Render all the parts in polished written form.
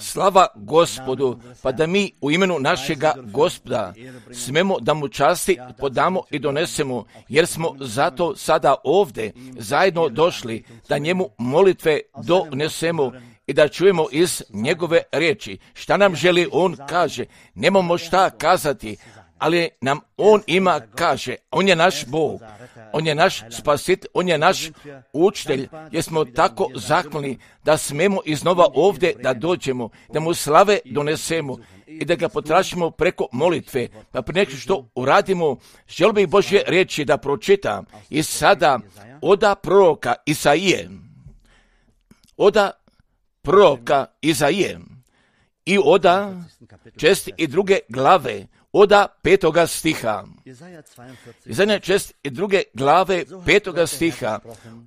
Slava Gospodu, pa da mi u imenu našega Gospoda smemo da mu časti podamo i donesemo, jer smo zato sada ovdje zajedno došli da njemu molitve donesemo i da čujemo iz njegove riječi. Šta nam želi on kaže, nemamo šta kazati, ali nam on ima kaže, on je naš Bog, on je naš spasitelj, on je naš učitelj, jer smo tako zahvalni da smemo iznova ovdje da dođemo, da mu slave donesemo i da ga potražimo preko molitve. Pa prije nego što uradimo, želio bih Božje riječi da pročitam i sada oda proroka Izaije, oda proroka Izaije i oda 62. glave, oda 5. stiha. Izaija 62. glave 5. stiha.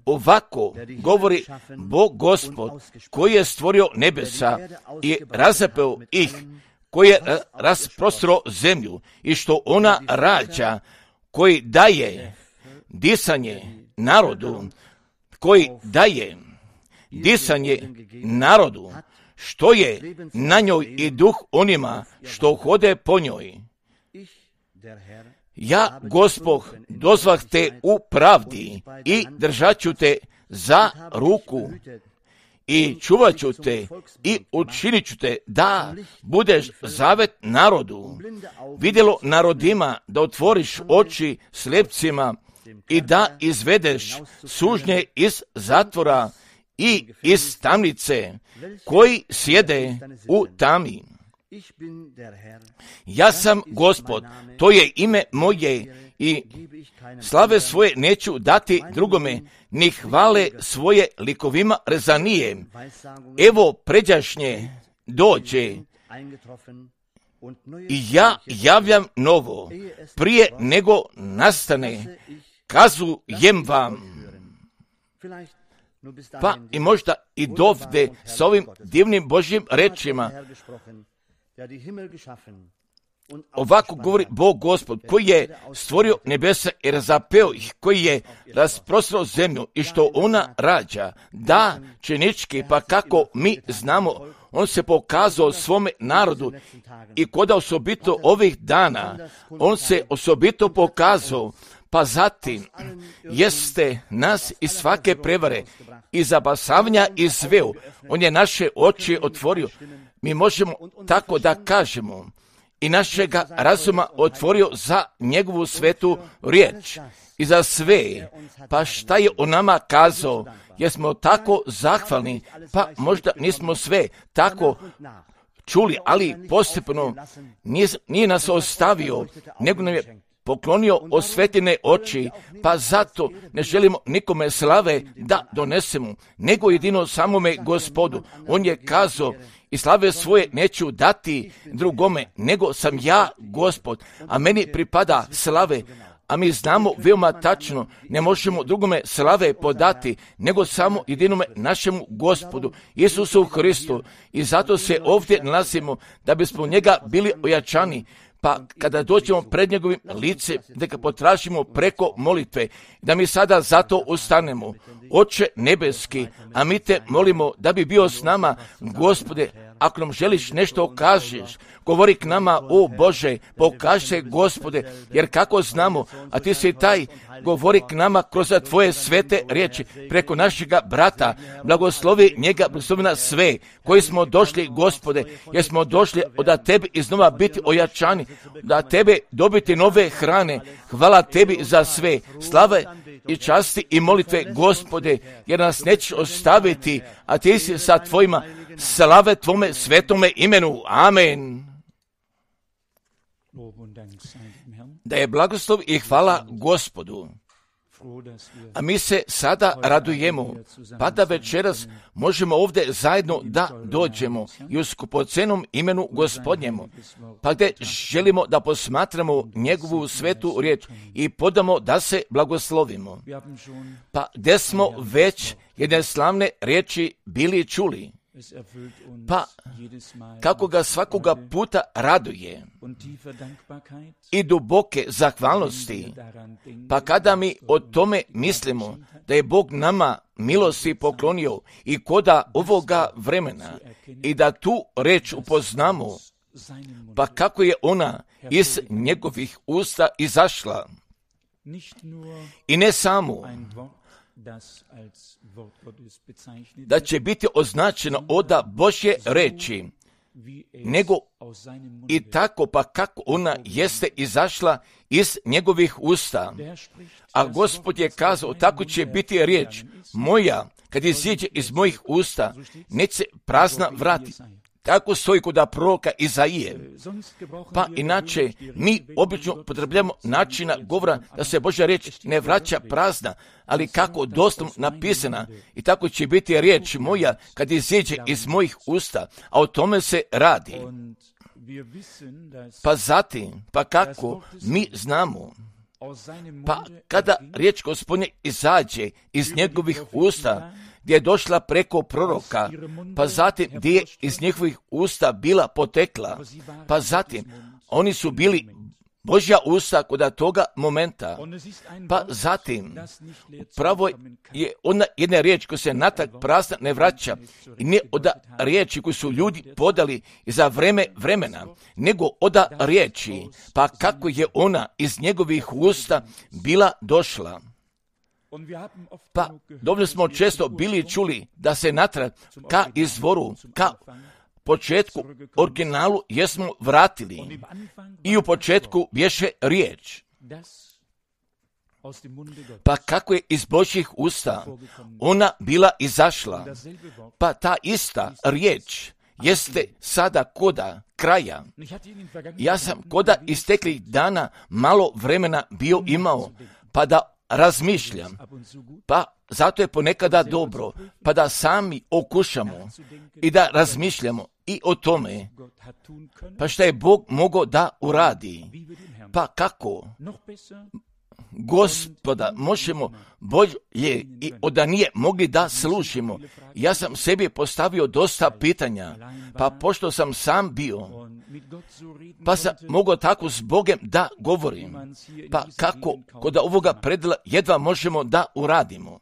Ovako govori Bog Gospod, koji je stvorio nebesa i razapeo ih, koji je rasprostro zemlju i što ona rađa, koji daje disanje narodu, koji daje disanje narodu, što je na njoj i duh onima što hode po njoj. Ja, Gospod, dozvah te u pravdi i držat ću te za ruku i čuvat ću te i učinit ću te da budeš zavet narodu, vidjelo narodima, da otvoriš oči slijepcima i da izvedeš sužnje iz zatvora i iz tamnice, koji sjede u tami. Ja sam Gospod, to je ime moje i slave svoje neću dati drugome, ni hvale svoje likovima rezanije. Evo pređašnje dođe i ja javljam novo, prije nego nastane, kazujem vam. Pa i možda i dovde s ovim divnim Božjim rečima. Ovako govori Bog Gospod, koji je stvorio nebesa i razapeo ih, koji je rasprostro zemlju i što ona rađa. Da, činički, pa kako mi znamo, on se pokazao svome narodu i koda osobito ovih dana, on se osobito pokazao, pa zatim jeste nas iz svake prevare i zabasavanja i sveo. On je naše oči otvorio. Mi možemo tako da kažemo i našega razuma otvorio za njegovu svetu riječ i za sve. Pa šta je on nama kazao? Jer smo tako zahvalni, pa možda nismo sve tako čuli, ali postepeno nije nas ostavio, nego nam je poklonio osvetljene oči, pa zato ne želimo nikome slave da donesemo, nego jedino samome Gospodu. On je kazao, i slave svoje neću dati drugome, nego sam ja Gospod, a meni pripada slave. A mi znamo veoma tačno, ne možemo drugome slave podati, nego samo jedinome našemu Gospodu, Isusu Hristu. I zato se ovdje nalazimo, da bismo njega bili ojačani. Pa kada dođemo pred njegovim lice, da ga potražimo preko molitve, da mi sada zato ustanemo. Oče nebeski, a mi te molimo da bi bio s nama, Gospode, ako nam želiš nešto kažeš, govori k nama, o Bože, pokaži se, Gospode, jer kako znamo, a ti si taj, govori k nama kroz tvoje svete riječi, preko našega brata, blagoslovi njega, blagoslovi nas sve, koji smo došli, Gospode, jer smo došli od tebi iznova biti ojačani, da tebe dobiti nove hrane. Hvala tebi za sve, slave i časti i molitve, Gospode, jer nas nećeš ostaviti, a ti si sa tvojima, slave tvome svetome imenu. Amen. Da je blagoslov i hvala Gospodu. A mi se sada radujemo, pa da večeras možemo ovdje zajedno da dođemo i u skupocenom imenu Gospodnjemu, pa gdje želimo da posmatramo njegovu svetu riječ i podamo da se blagoslovimo. Pa gdje smo već jedne slavne riječi bili čuli. Pa kako ga svakoga puta raduje i duboke zahvalnosti, pa kada mi o tome mislimo da je Bog nama milosti poklonio i koda ovoga vremena i da tu reč upoznamo, pa kako je ona iz njegovih usta izašla. I ne samo da će biti označeno od Božje reči, nego i tako pa kako ona jeste izašla iz njegovih usta. A Gospod je kazao, tako će biti riječ moja, kad iziđe iz mojih usta, neće prazna vratiti. Tako stoji kod proroka Izaije. Pa inače, mi obično upotrebljamo načina govora da se Božja riječ ne vraća prazna, ali kako doslovno napisana. I tako će biti riječ moja kad iziđe iz mojih usta, a o tome se radi. Pa zatim, pa kako mi znamo, pa kada riječ Gospodnje izađe iz njegovih usta, gdje je došla preko proroka, pa zatim gdje je iz njihovih usta bila potekla, pa zatim oni su bili Božja usta kod toga momenta, pa zatim pravo je ona jedna riječ koja se natrag prazna ne vraća i ne od riječi koju su ljudi podali za vremena, nego od riječi, pa kako je ona iz njegovih usta bila došla. Pa dobro smo često bili čuli da se natrag ka izvoru, ka početku, originalu jesmo vratili i u početku bješe riječ. Pa kako je iz Božjih usta ona bila izašla, pa ta ista riječ jeste sada koda kraja. Ja sam koda isteklih dana malo vremena bio imao, pa da razmišljam, pa zato je ponekada dobro, pa da sami okušamo i da razmišljamo i o tome, pa šta je Bog mogao da uradi, pa kako Gospoda možemo bolje i da nije mogli da slušimo. Ja sam sebi postavio dosta pitanja, pa pošto sam sam bio, pa sam mogao tako s Bogom da govorim, pa kako kod ovoga predela jedva možemo da uradimo.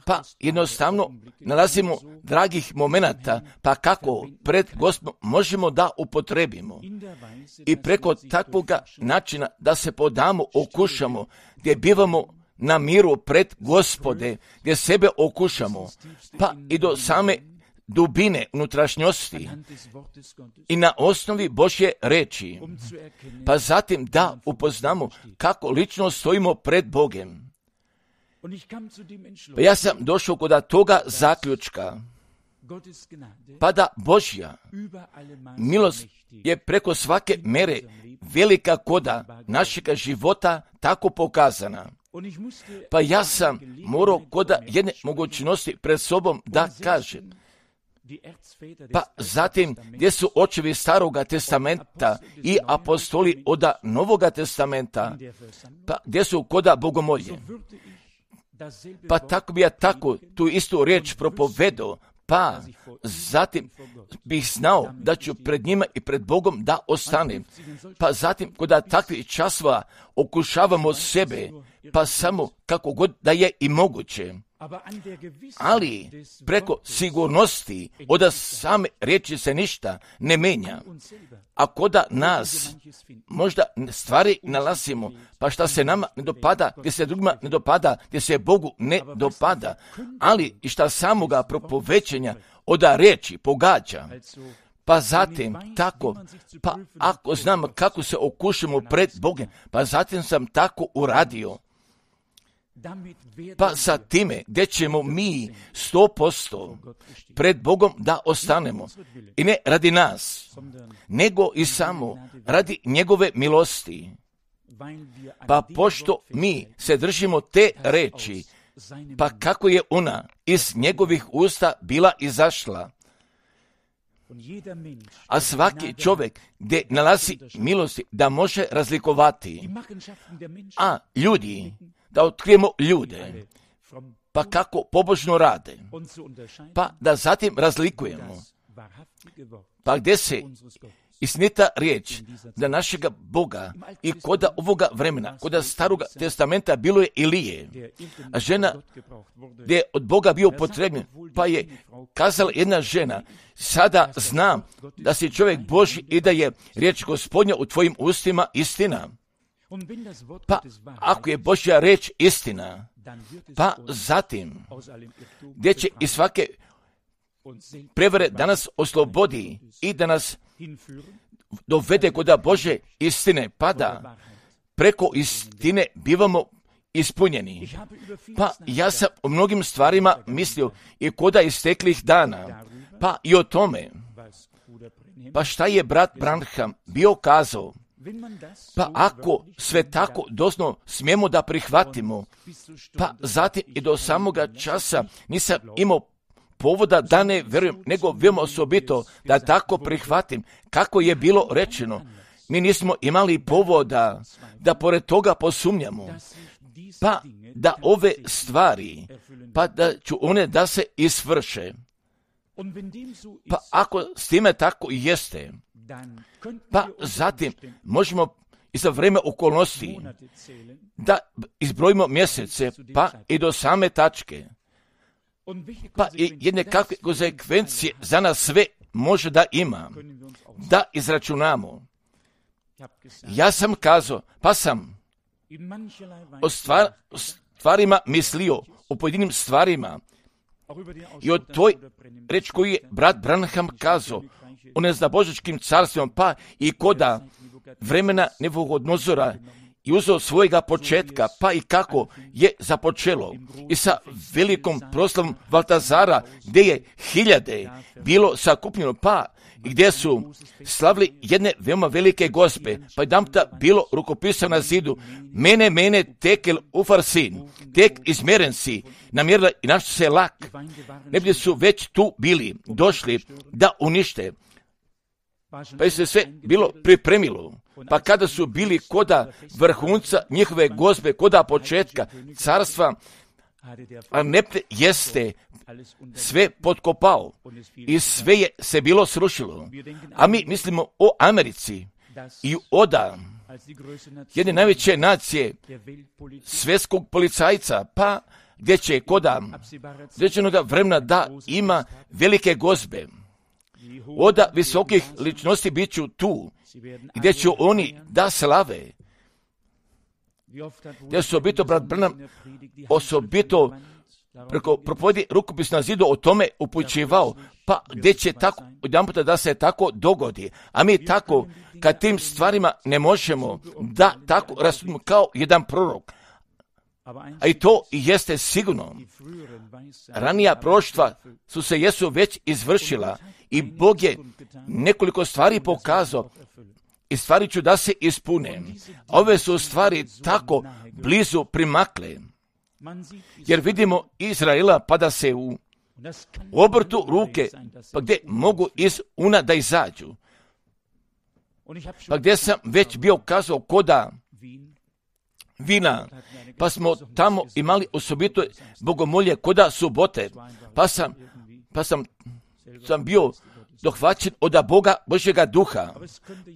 Pa jednostavno nalazimo dragih momenata, pa kako pred Gospodom možemo da upotrebimo i preko takvoga načina da se podamo, okušamo, gdje bivamo na miru pred Gospode, gdje sebe okušamo, pa i do same dubine unutrašnjosti i na osnovi Božje reči, pa zatim da upoznamo kako lično stojimo pred Bogom. Pa ja sam došao kod toga zaključka, pa da Božja milost je preko svake mere velika koda našega života tako pokazana. Pa ja sam morao koda jedne mogućnosti pred sobom da kažem, pa zatim gdje su očevi Staroga testamenta i apostoli od Novoga testamenta, pa gdje su koda bogomolje. Pa tako bi ja tako tu istu riječ propovedao, pa zatim bih znao da ću pred njima i pred Bogom da ostanem. Pa zatim kod takvih časova okušavamo sebe, pa samo kako god da je i moguće. Ali preko sigurnosti od same riječi se ništa ne menja. A koda nas možda stvari nalazimo, pa šta se nama ne dopada, gdje se drugima ne dopada, gdje se Bogu ne dopada, ali i šta samoga propovećenja od riječi pogađa. Pa zatim tako, pa ako znam kako se okušamo pred Bogom, pa zatim sam tako uradio. Pa sa time gdje ćemo mi 100% pred Bogom da ostanemo. I ne radi nas, nego i samo radi njegove milosti. Pa pošto mi se držimo te reči, pa kako je ona iz njegovih usta bila izašla. A svaki čovjek gdje nalazi milosti da može razlikovati. A ljudi, da otkrijemo ljude, pa kako pobožno rade, pa da zatim razlikujemo, pa gdje se istinita riječ da našega Boga i koda ovoga vremena, koda staroga testamenta bilo je Ilije, a žena gdje je od Boga bio potrebljen, pa je kazala jedna žena, sada znam da si čovjek Božji i da je riječ Gospodnja u tvojim ustima istina. Pa ako je Božja riječ istina, pa zatim gdje će i svake prevare da nas oslobodi i da nas dovede kod Bože istine, pa da preko istine bivamo ispunjeni. Pa ja sam o mnogim stvarima mislio i koda isteklih dana, pa i o tome, pa šta je brat Branham bio kazao, pa ako sve tako doslovno smijemo da prihvatimo, pa zatim i do samoga časa nisam imao povoda da ne vjerujem, nego veoma osobito da tako prihvatim kako je bilo rečeno. Mi nismo imali povoda da pored toga posumnjamo, pa da ove stvari, pa da ću one da se isvrše. Pa ako s time tako i jeste, pa zatim možemo i za vrijeme okolnosti da izbrojimo mjesece, pa i do same tačke. Pa i jedne kakve konsekvencije za nas sve može da ima, da izračunamo. Ja sam kazao, pa sam o stvarima mislio, o pojedinim stvarima i o toj reč koju je brat Branham kazao, o nezdabožičkim carstvima, pa i koda vremena Nebuhodnozora i uzeo svojega početka, pa i kako je započelo i sa velikom proslavom Valtazara, gdje je hiljade bilo sakupljeno, pa i gdje su slavili jedne veoma velike gospe, pa jedanputa bilo rukopisano na zidu, mene, tekel ufarsin, tek izmjeren si, namjerila i našli se lak, ne bi su već tu bili, došli da unište, pa je se sve bilo pripremilo. Pa kada su bili koda vrhunca njihove gospe, koda početka carstva, a Nepte jeste sve potkopao i sve je se bilo srušilo. A mi mislimo o Americi i oda jedne najveće nacije svjetskog policajca, pa gdje će koda određenoga vremena da ima velike gospe. Oda visokih ličnosti bit ću tu, gdje će oni da slave. Gdje su osobito, brat Branham, osobito preko propovedi rukopis na zidu o tome upućivao, pa gdje će tako, jedanputa da se tako dogodi. A mi tako, kad tim stvarima ne možemo da tako rasudimo kao jedan prorok. A i to jeste sigurno. Ranija proroštva su se jesu već izvršila i Bog je nekoliko stvari pokazao i stvari ću da se ispune. Ove su stvari tako blizu primakle. Jer vidimo Izraela pa da se u obrtu ruke, pa gdje mogu iz una da izađu. Pa gdje sam već bio kazao koda Vina, pa smo tamo imali osobito bogomolje koda subote, pa sam bio dohvaćen od Boga Božjega duha,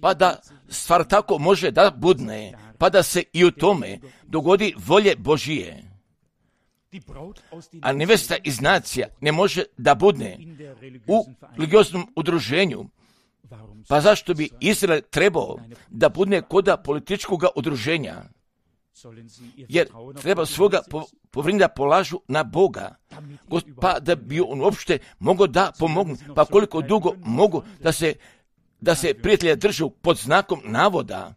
pa da stvar tako može da budne, pa da se i u tome dogodi volje Božije. A nevesta iz nacija ne može da budne u religioznom udruženju. Pa zašto bi Izrael trebao da budne koda političkog udruženja? Jer treba svoga povrinda polažu na Boga, pa da bi on uopšte mogao da pomogne, pa koliko dugo mogu da se prijatelja držu pod znakom navoda,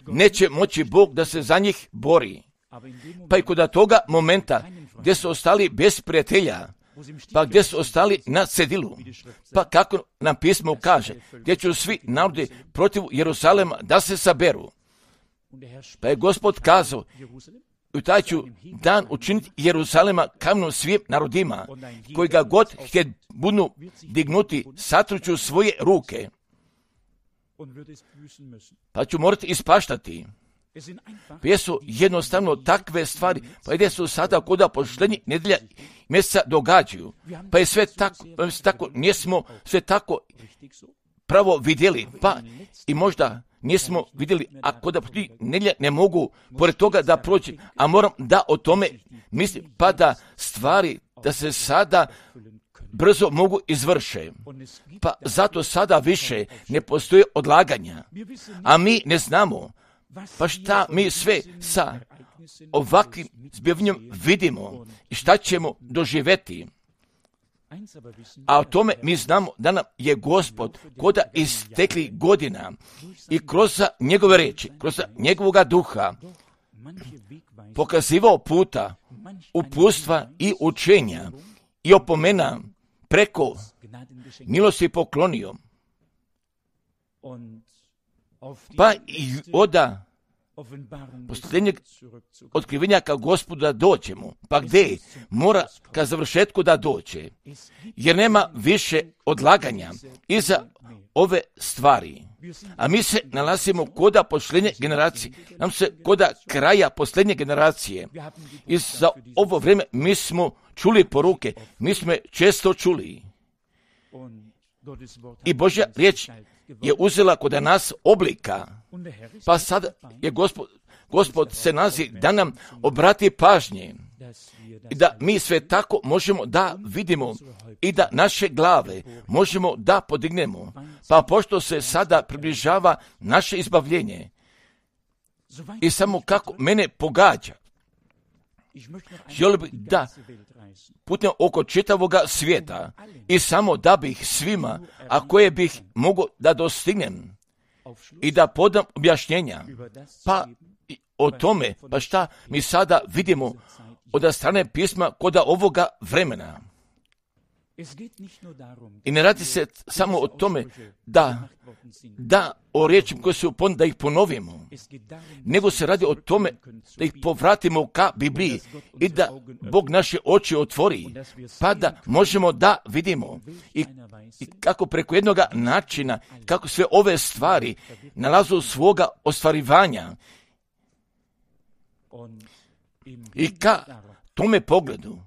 neće moći Bog da se za njih bori. Pa i kod toga momenta gdje su ostali bez prijatelja, pa gdje su ostali na cedilu, pa kako nam pismo kaže, gdje će svi narodi protiv Jeruzalema da se saberu. Pa je Gospod kazao, u taj ću dan učiniti Jeruzalema kamenom svim narodima, koji ga god budu dignuti, satruću svoje ruke, pa ću morati ispaštati. Pa jesu jednostavno takve stvari, pa gdje su sada koda poštenje nedjelja mjeseca događaju. Pa je sve tako, nismo sve tako pravo vidjeli, pa i možda nismo vidjeli, a koda nedjelja ne mogu pored toga da prođe, a moram da o tome mislim, pa da stvari, da se sada brzo mogu izvrše. Pa zato sada više ne postoje odlaganja, a mi ne znamo, pa šta mi sve sa ovakvim zbivanjem vidimo i šta ćemo doživjeti. A o tome mi znamo da nam je Gospod koda istekli godina i kroz njegove riječi, kroz njegovoga duha pokazivao puta, uputstva i učenja i opomena preko milosti poklonio. Pa i oda posljednjeg otkrivenja ka Gospodu da dođemo. Pa gdje? Mora ka završetku da dođe. Jer nema više odlaganja iza ove stvari. A mi se nalazimo koda posljednje generacije. Nam se koda kraja posljednje generacije. I za ovo vrijeme mi smo čuli poruke. Mi smo je često čuli. I Božja riječ je uzela kod nas oblika. Pa sad je Gospod se nalazi da nam obrati pažnje i da mi sve tako možemo da vidimo i da naše glave možemo da podignemo. Pa pošto se sada približava naše izbavljenje i samo kako mene pogađa, želio bih da putem oko čitavoga svijeta i samo da bih svima, a koje bih mogao da dostignem i da podam objašnjenja, pa o tome, pa šta mi sada vidimo od strane pisma koda ovoga vremena. I ne radi se samo o tome da o riječima koje su da ih ponovimo, nego se radi o tome da ih povratimo ka Bibliji i da Bog naše oči otvori, pa da možemo da vidimo i kako preko jednoga načina, kako sve ove stvari nalazu svoga ostvarivanja i ka tome pogledu.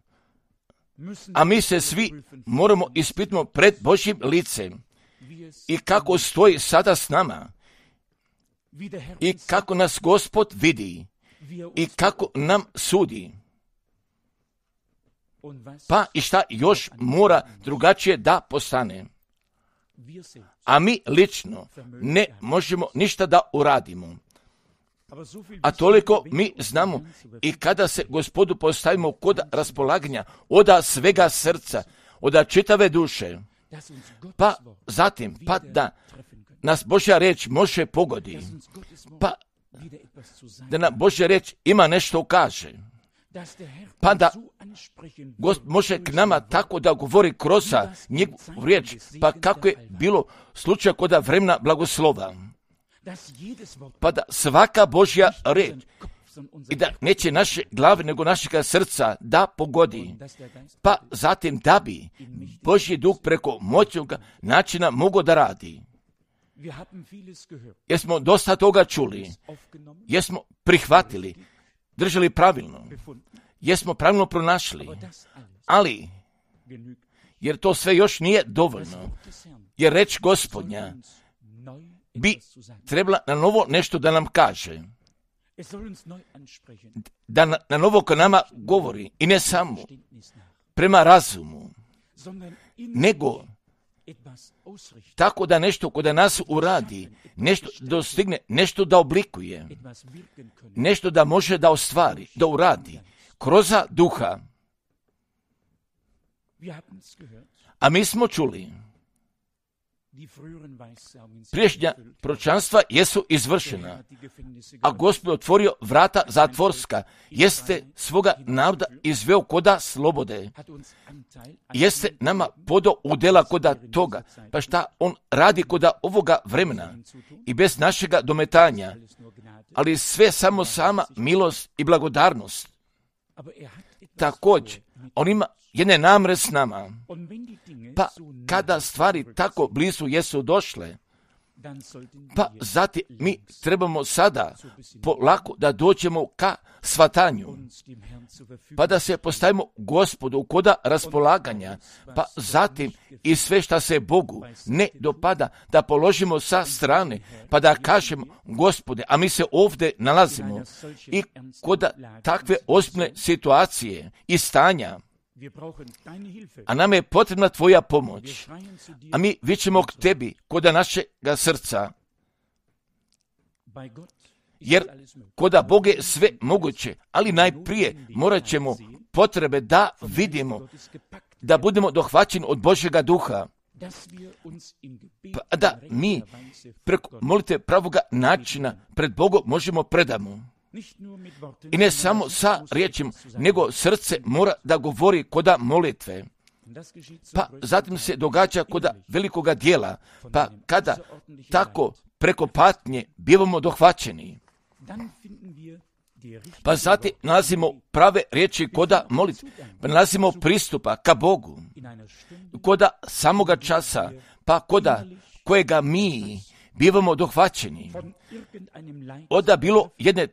A mi se svi moramo ispitati pred Božjim licem i kako stoji sada s nama i kako nas Gospod vidi i kako nam sudi. Pa i šta još mora drugačije da postane. A mi lično ne možemo ništa da uradimo. A toliko mi znamo i kada se Gospodu postavimo kod raspolaganja oda svega srca, oda čitave duše, pa zatim, pa da nas Božja riječ može pogodi, pa da nam Božja riječ ima nešto kaže, pa da Gospod može k nama tako da govori kroz njegovu riječ, pa kako je bilo slučaj kod vremena blagoslova. Pa da svaka Božja riječ i da neće naše glave nego našega srca da pogodi, pa zatim da bi Božji duh preko moćnog načina mogao da radi. Jer smo dosta toga čuli, jer smo prihvatili, držali pravilno, jer smo pravilno pronašli, ali jer to sve još nije dovoljno, jer reč Gospodnja bi trebala na novo nešto da nam kaže, da na novo ko nama govori i ne samo prema razumu, nego tako da nešto kod nas uradi, nešto dostigne, nešto da oblikuje, nešto da može da ostvari, da uradi, kroz duha. A mi smo čuli, priješnja proročanstva jesu izvršena, a Gospod otvorio vrata zatvorska, jeste svoga naroda izveo koda slobode, jeste nama podao udjela koda toga, pa šta on radi koda ovoga vremena i bez našega dometanja, ali sve samo sama milost i blagodarnost. Također, on ima jedne namre s nama, pa kada stvari tako blizu jesu došle, Pa zatim mi trebamo sada polako da dođemo ka shvatanju, pa da se postavimo Gospodu koda raspolaganja, pa zatim i sve šta se Bogu ne dopada da položimo sa strane, pa da kažemo Gospode, a mi se ovdje nalazimo i koda takve ozbiljne situacije i stanja, a nam je potrebna tvoja pomoć, a mi vičemo k tebi koda našega srca, jer koda Bog je sve moguće, ali najprije morat ćemo potrebe da vidimo, da budemo dohvaćeni od Božjega duha, pa da mi preko molitve pravoga načina pred Bogom možemo predamo. I ne samo sa riječima, nego srce mora da govori koda molitve. Pa zatim se događa koda velikoga dijela, pa kada tako preko patnje bivamo dohvaćeni, pa zatim nalazimo prave riječi koda molitve, pa nalazimo pristupa ka Bogu, koda samoga časa, pa koda kojega mi bivamo dohvaćeni, oda bilo jedne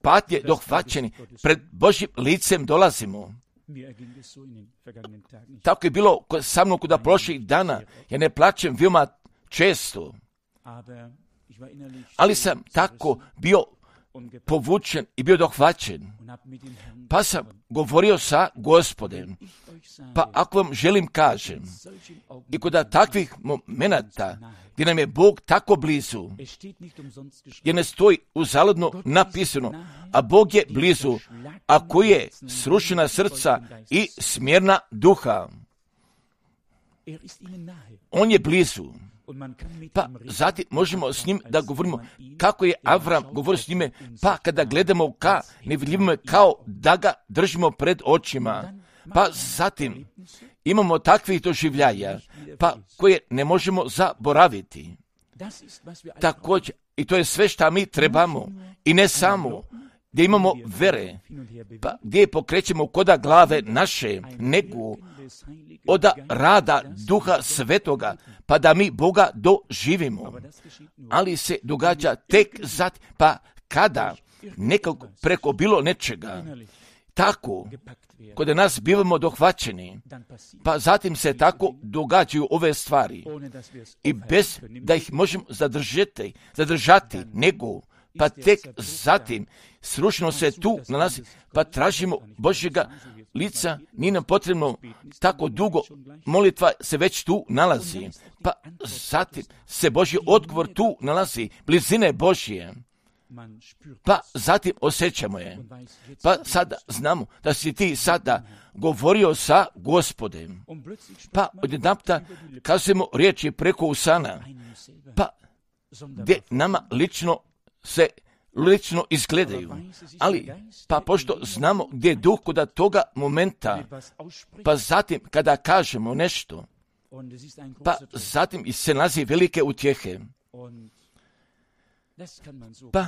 patnje dohvaćeni, pred Božjim licem dolazimo. Tako je bilo sa mnom kod prošlih dana, ja ne plačem veoma često, ali sam tako bio povučen i bio dohvaćen, pa sam govorio sa Gospodem, pa ako vam želim kažem, i kod takvih momenata gdje nam je Bog tako blizu, jer ne stoji uzaludno napisano, a Bog je blizu, a koji je srušena srca i smjerna duha. On je blizu. Pa zatim možemo s njim da govorimo kako je Avram govorio s njime, pa kada gledamo ka nevidljivome kao da ga držimo pred očima, pa zatim imamo takvih doživljaja, pa koje ne možemo zaboraviti. Također, i to je sve šta mi trebamo, i ne samo gdje imamo vere, pa gdje pokrećemo koda glave naše, nego od rada Duha Svetoga, pa da mi Boga doživimo. Ali se događa tek zatim, pa kada nekako preko bilo nečega, tako, kod nas bivamo dohvaćeni, pa zatim se tako događaju ove stvari, i bez da ih možemo zadržati, nego, pa tek zatim srušeno se tu nalazi, pa tražimo Božjega lica, nije nam potrebno tako dugo, molitva se već tu nalazi, pa zatim se Božji odgovor tu nalazi, blizine Božje, pa zatim osjećamo je, pa sada znamo da si ti sada govorio sa Gospodem, pa odjedanputa kazujemo riječi preko usana, pa gdje nama lično izgledaju, ali pa pošto znamo gdje je duh kod toga momenta, pa zatim kada kažemo nešto, pa zatim se nalazi velike utjehe. Pa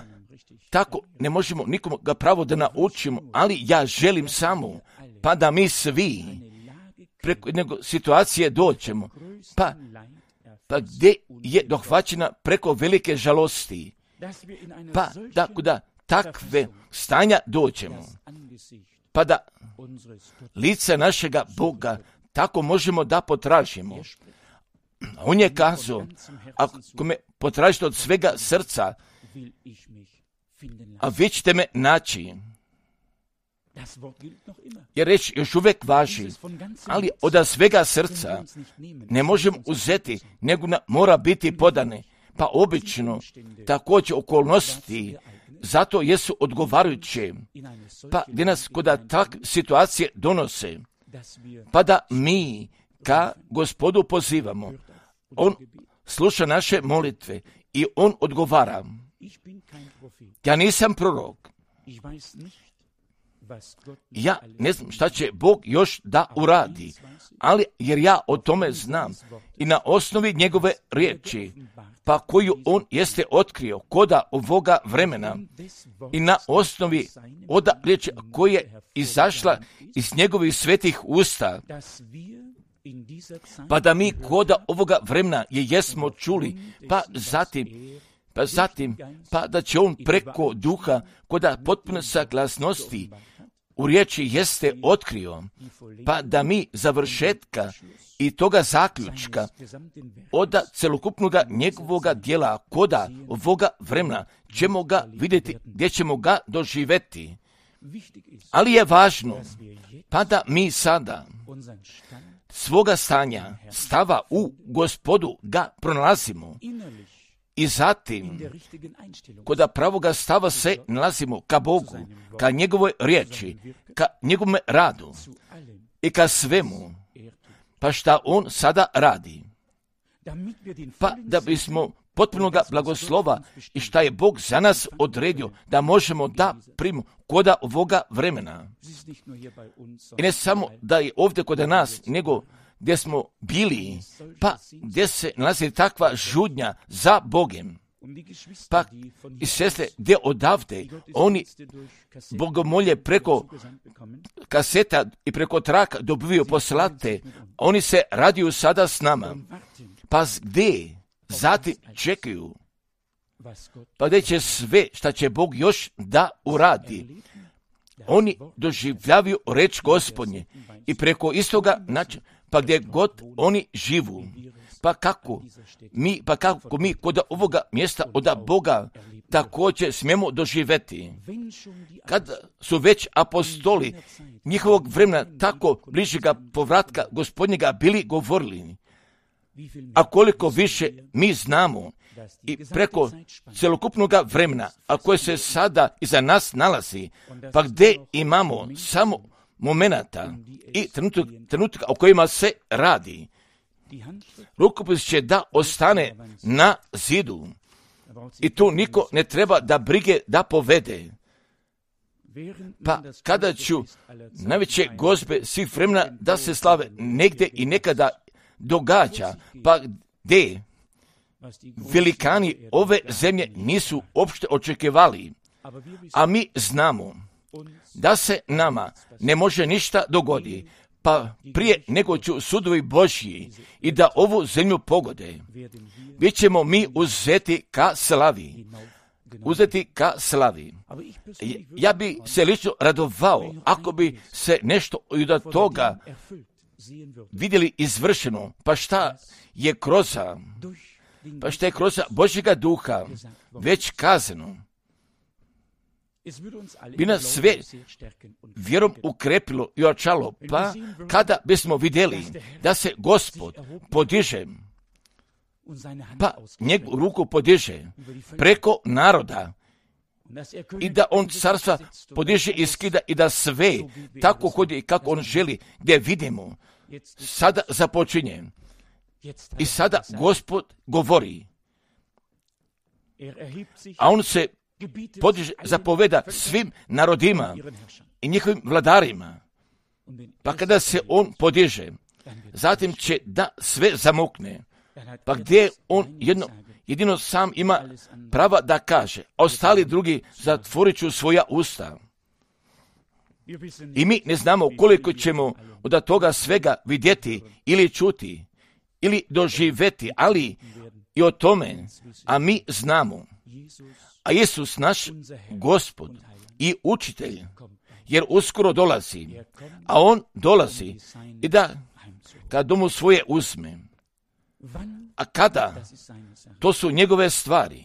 tako ne možemo nikomu ga pravo da naučimo, ali ja želim samo, pa da mi svi preko jedne situacije dođemo, pa gdje je dohvaćena preko velike žalosti, pa da kuda takve stanja dođemo, pa da lice našega Boga tako možemo da potražimo. On je kazao, ako me potražite od svega srca, a vi ćete me naći. Jer reč još uvijek važi, ali od svega srca ne možemo uzeti, nego mora biti podane. Pa obično također okolnosti zato jesu odgovarajuće, pa gdje nas kod takve situacije donose, pa da mi ka Gospodu pozivamo. On sluša naše molitve i on odgovara. Ja nisam prorok. Ja ne znam šta će Bog još da uradi, ali jer ja o tome znam i na osnovi njegove riječi, pa koju on jeste otkrio koda ovoga vremena i na osnovi oda riječi koja je izašla iz njegovih svetih usta, pa da mi koda ovoga vremena je jesmo čuli, pa zatim, da će on preko duha koda potpune saglasnosti u riječi jeste otkrio, pa da mi završetka i toga zaključka od celokupnog njegovoga djela koda ovoga vremena ćemo ga vidjeti, gdje ćemo ga doživjeti. Ali je važno, pa da mi sada svoga stava u Gospodu ga pronalazimo i zatim kod pravoga stava se nalazimo ka Bogu, ka njegovoj riječi, ka njegovom radu i ka svemu, pa šta on sada radi. Pa da bismo potpunoga blagoslova i šta je Bog za nas odredio da možemo da primimo koda ovoga vremena. I ne samo da je ovdje kod nas, nego gdje smo bili, pa gdje se nalazi takva žudnja za Bogem. Pa i sestre gdje odavde oni bogomolje preko kaseta i preko traka dobivaju poslate, oni se radiju sada s nama. Pa gdje zatim čekaju, pa gdje će sve šta će Bog još da uradi. Oni doživljavaju reč Gospodnje i preko istoga načina, pa gdje god oni živu, pa kako mi kod ovoga mjesta od Boga također smijemo doživjeti. Kad su već apostoli njihovog vremena tako bližega povratka Gospodnjega bili govorili, a koliko više mi znamo i preko celokupnog vremena, a koje se sada iza nas nalazi, pa gdje imamo samo momenata i trenutka o kojima se radi. Rukopis će da ostane na zidu i tu niko ne treba da brige da povede. Pa kada ću najveće gozbe svih vremena da se slave negdje i nekada događa, pa gdje velikani ove zemlje nisu uopšte očekivali, a mi znamo da se nama ne može ništa dogoditi, pa prije nego ću sudovi Božji i da ovu zemlju pogode, bit ćemo mi uzeti ka slavi. Ja bi se lično radovao ako bi se nešto od toga vidjeli izvršeno, pa šta je kroz Božjega duha već kazano. Bi nas sve vjerom ukrepilo i ojačalo, pa kada bismo vidjeli da se Gospod podiže, pa njegovu ruku podiže preko naroda i da on carstva podiže i skida i da sve tako hodi kako on želi, gdje vidimo, sada započinje. I sada Gospod govori, a on se podiže, zapoveda svim narodima i njihovim vladarima. Pa kada se on podiže, zatim će da sve zamukne. Pa gdje on jedino sam ima prava da kaže, a ostali drugi zatvorit ću svoja usta. I mi ne znamo koliko ćemo od toga svega vidjeti ili čuti ili doživjeti, ali i o tome, a mi znamo. A Isus naš Gospod i učitelj, jer uskoro dolazi, a on dolazi i da kad domu svoje uzme. A kada? To su njegove stvari.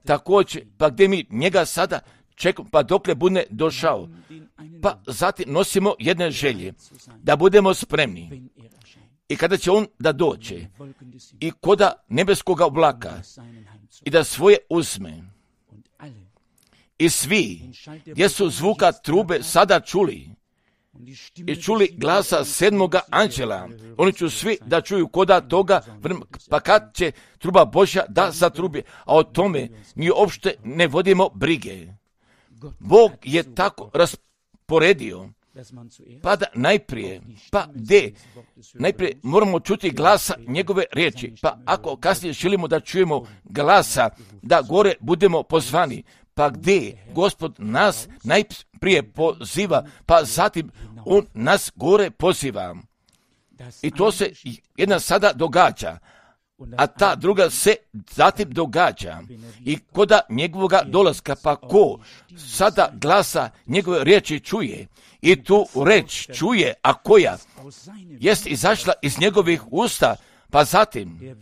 Također, pa gdje mi njega sada čekamo, pa dokle bude došao, pa zatim nosimo jedne želje, da budemo spremni. I kada će on da dođe i koda nebeskoga oblaka i da svoje uzme, i svi gdje su zvuka trube sada čuli i čuli glasa sedmoga anđela, oni će svi da čuju koda toga, pa kad će truba Božja da zatrubi, a o tome mi uopšte ne vodimo brige. Bog je tako rasporedio, pa da najprije moramo čuti glasa njegove riječi, pa ako kasnije želimo da čujemo glasa, da gore budemo pozvani, pa gdje Gospod nas najprije poziva, pa zatim on nas gore poziva. I to se jedna sada događa, a ta druga se zatim događa. I koda njegovoga dolaska, pa ko sada glasa njegove riječi čuje, i tu reč čuje, a koja jest izašla iz njegovih usta, pa zatim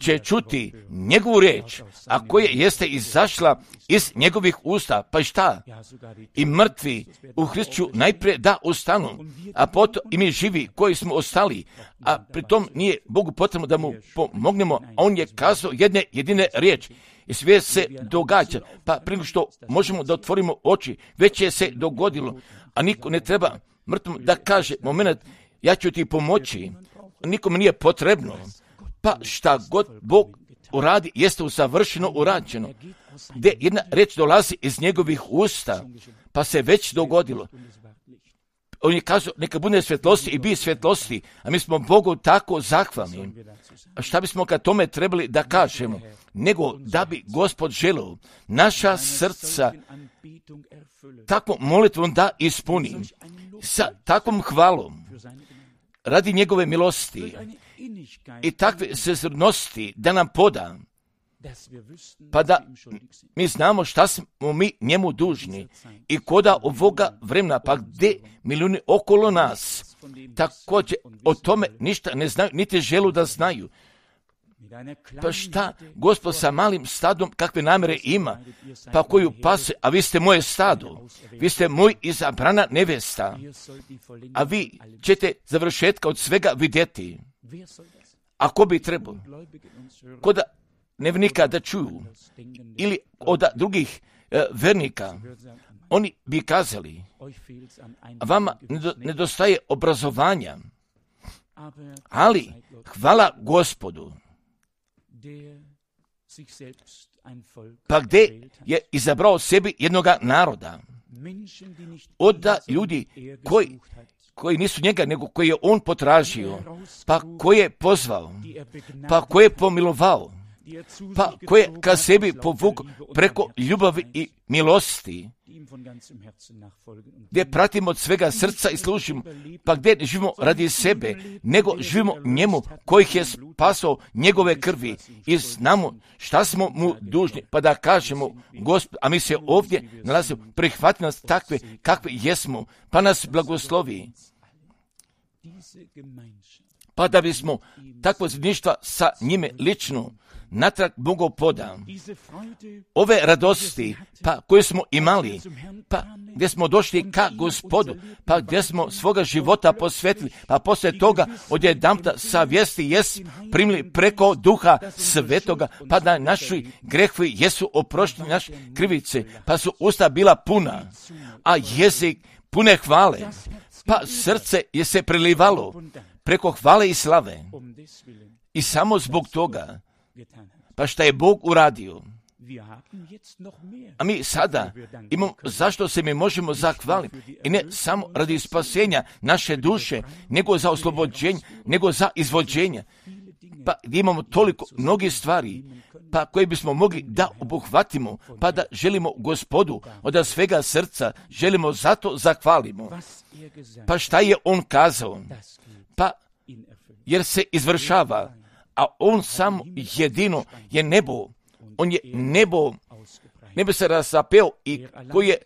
će čuti njegovu riječ, a koja jeste izašla iz njegovih usta, pa šta? I mrtvi u Hristu najprije da ustanu, a potom i mi živi koji smo ostali, a pritom nije Bogu potrebno da mu pomognemo, a on je kazao jedine riječ. I sve se događa, pa prije što možemo da otvorimo oči, već je se dogodilo, a niko ne treba mrtvom da kaže, moment, ja ću ti pomoći, nikome nije potrebno, pa šta god Bog uradi, jeste usavršeno urađeno, gdje jedna reč dolazi iz njegovih usta, pa se već dogodilo. On je kazao, neka bude svjetlosti i bi svjetlosti, a mi smo Bogu tako zahvalni. A šta bismo kad tome trebali da kažemo? Nego da bi Gospod želeo naša srca takvom molitvom da ispuni, sa takvom hvalom, radi njegove milosti i takve sezrnosti da nam poda, pa da mi znamo šta smo mi njemu dužni i koda ovoga vremena, pa gdje milijuni okolo nas također o tome ništa ne znaju, niti želu da znaju. Pa šta Gospod sa malim stadom kakve namjere ima, pa koju pase, a vi ste moje stado, vi ste moj izabrana nevesta, a vi ćete završetka od svega vidjeti. A ko bi trebao? Koda nevjernika da čuju ili od drugih vernika, oni bi kazali, vama nedostaje obrazovanja, ali hvala Gospodu, pa gdje je izabrao sebi jednoga naroda, od ljudi koji nisu njega, nego koji je on potražio, pa koji je pozvao, pa koji je pomilovao, pa koji je ka sebi povukao preko ljubavi i milosti, gdje pratimo od svega srca i služimo, pa gdje ne živimo radi sebe, nego živimo njemu kojih je spasao njegove krvi i znamo šta smo mu dužni, pa da kažemo Gospod, a mi se ovdje nalazimo, prihvati nas takve kakve jesmo, pa nas blagoslovi, pa da bismo takvo zajedništva sa njime lično natrag Bogu poda. Ove radosti, pa koje smo imali, pa gdje smo došli ka Gospodu, pa gdje smo svoga života posvetili, pa poslije toga odjedanputa sa vijesti primili preko Duha Svetoga, pa da naši grehovi jesu oprošteni, naše krivice, pa su usta bila puna, a jezik pune hvale, pa srce je se prelivalo preko hvale i slave. I samo zbog toga, pa šta je Bog uradio. A mi sada imamo zašto se mi možemo zahvaliti. I ne samo radi spasenja naše duše, nego za oslobođenje, nego za izvođenje. Pa imamo toliko mnogih stvari, pa koje bismo mogli da obuhvatimo, pa da želimo Gospodu od svega srca, želimo zato zahvalimo. Pa šta je on kazao? Pa jer se izvršava, a on samo jedino je nebo. On je nebo se razapeo i koji je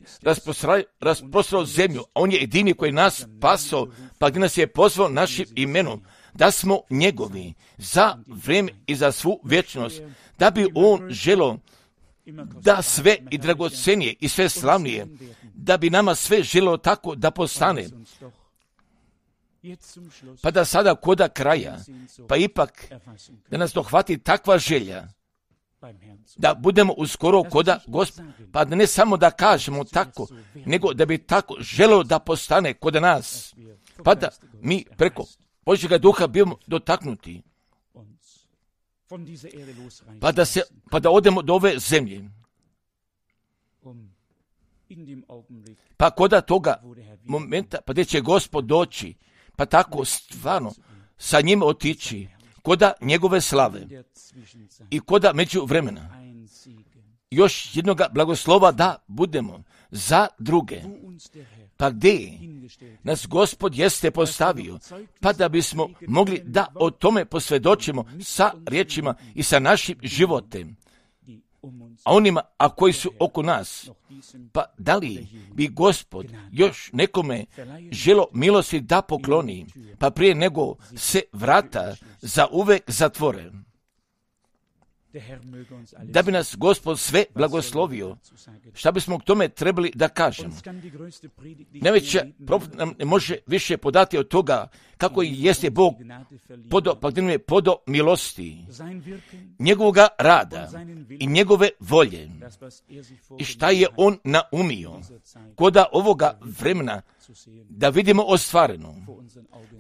rasprostrao zemlju, a on je jedini koji nas spasao, pa gdje nas je pozvao našim imenom, da smo njegovi za vrijeme i za svu vječnost, da bi on želio da sve i dragocenije i sve slavnije, da bi nama sve želio tako da postane. Pa da sada koda kraja, pa ipak da nas dohvati takva želja, da budemo uskoro koda Gospoda, pa da ne samo da kažemo tako, nego da bi tako želio da postane koda nas, pa da mi preko Božjega duha bimo dotaknuti, pa da odemo do ove zemlje, pa koda toga momenta, pa gdje će Gospod doći, pa tako stvarno sa njim otići, koda njegove slave i koda među vremena, još jednoga blagoslova da budemo za druge. Pa gdje nas Gospod jeste postavio, pa da bismo mogli da o tome posvjedočimo sa riječima i sa našim životem, a onima, a koji su oko nas. Pa da li bi Gospod još nekome želo milosti da pokloni, pa prije nego se vrata za uvek zatvore? Da bi nas Gospod sve blagoslovio, šta bismo k tome trebali da kažemo? Najveća profet nam ne može više podati od toga kako jeste Bog podo milosti, njegovoga rada i njegove volje i šta je on naumio koda ovoga vremena da vidimo ostvareno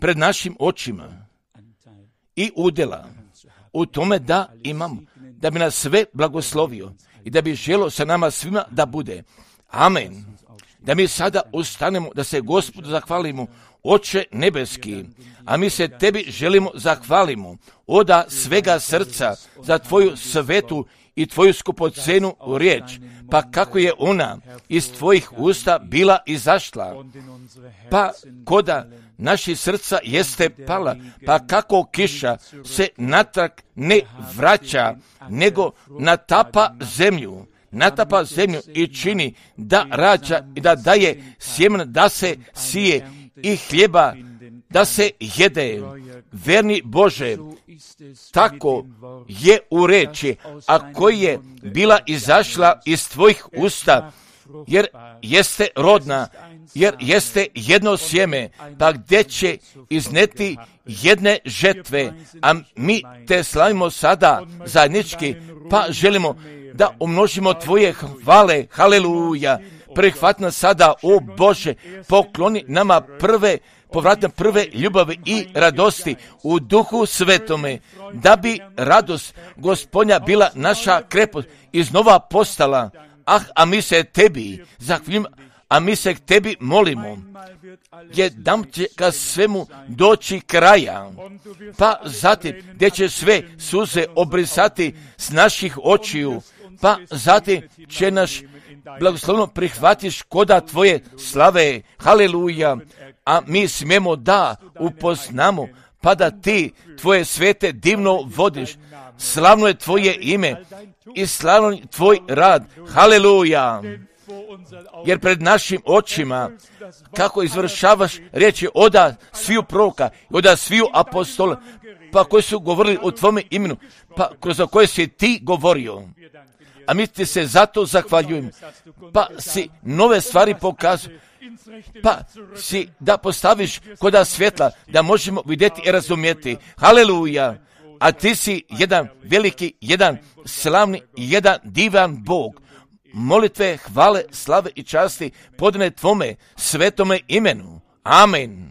pred našim očima i udjela u tome da imamo, da bi nas sve blagoslovio i da bi želo sa nama svima da bude. Amen. Da mi sada ustanemo, da se Gospodu zahvalimo, Oče nebeski, a mi se tebi želimo zahvalimo od svega srca za tvoju svetu i tvoju skupocenu riječ, pa kako je ona iz tvojih usta bila izašla, pa koda naši srca jeste pala, pa kako kiša se natrag ne vraća, nego natapa zemlju i čini da rađa i da daje sjemen da se sije i hljeba da se jede. Verni Bože, tako je u reči, a koji je bila izašla iz tvojih usta, jer jeste rodna, jer jeste jedno sjeme, pa gdje će izneti jedne žetve, a mi te slavimo sada zajednički, pa želimo da umnožimo tvoje hvale, haleluja. Prihvati nas sada, o Bože, pokloni nama povratne prve ljubavi i radosti u Duhu Svetome, da bi radost Gospodnja bila naša krepost iznova postala. A mi se tebi zahvaljujemo, a mi se k tebi molimo, jednom će ka svemu doći kraja, pa zatim gdje će sve suze obrisati s naših očiju, pa zatim će naš blagoslovno prihvatiš koda tvoje slave, haleluja, a mi smijemo da upoznamo, pa da ti tvoje svete divno vodiš, slavno je tvoje ime i slavno je tvoj rad, haleluja, jer pred našim očima kako izvršavaš riječi oda sviju proroka i oda sviju apostola, pa koji su govorili o tvome imenu, pa kroz koje si ti govorio. A mi ti se zato zahvaljujemo, pa si nove stvari pokazuje, pa si da postaviš koda svjetla, da možemo vidjeti i razumjeti. Haleluja! A ti si jedan veliki, jedan slavni, jedan divan Bog. Molitve, hvale, slave i časti podane tvome svetome imenu. Amen.